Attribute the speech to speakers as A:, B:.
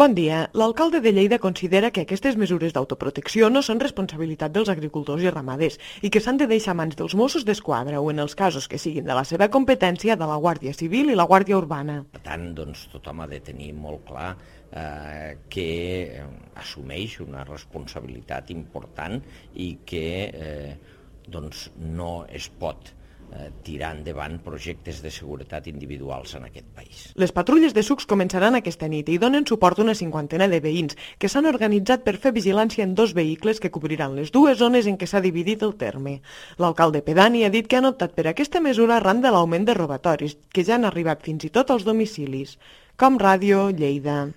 A: Bon dia. L'alcalde de Lleida considera que aquestes mesures d'autoprotecció no són responsabilitat dels agricultors i ramaders i que s'han de deixar a mans dels Mossos d'Esquadra o, en els casos que siguin de la seva competència, de la Guàrdia Civil i la Guàrdia Urbana.
B: Per tant, tothom ha de tenir molt clar que assumeix una responsabilitat important i que no es pot tirar endavant projectes de seguretat individuals en aquest país.
A: Les patrulles de sucs començaran aquesta nit i donen suport a una cinquantena de veïns que s'han organitzat per fer vigilància en 2 vehicles que cobriran les 2 zones en què s'ha dividit el terme. L'alcalde pedani ha dit que han optat per aquesta mesura arran de l'augment de robatoris, que ja han arribat fins i tot als domicilis. Com Ràdio, Lleida.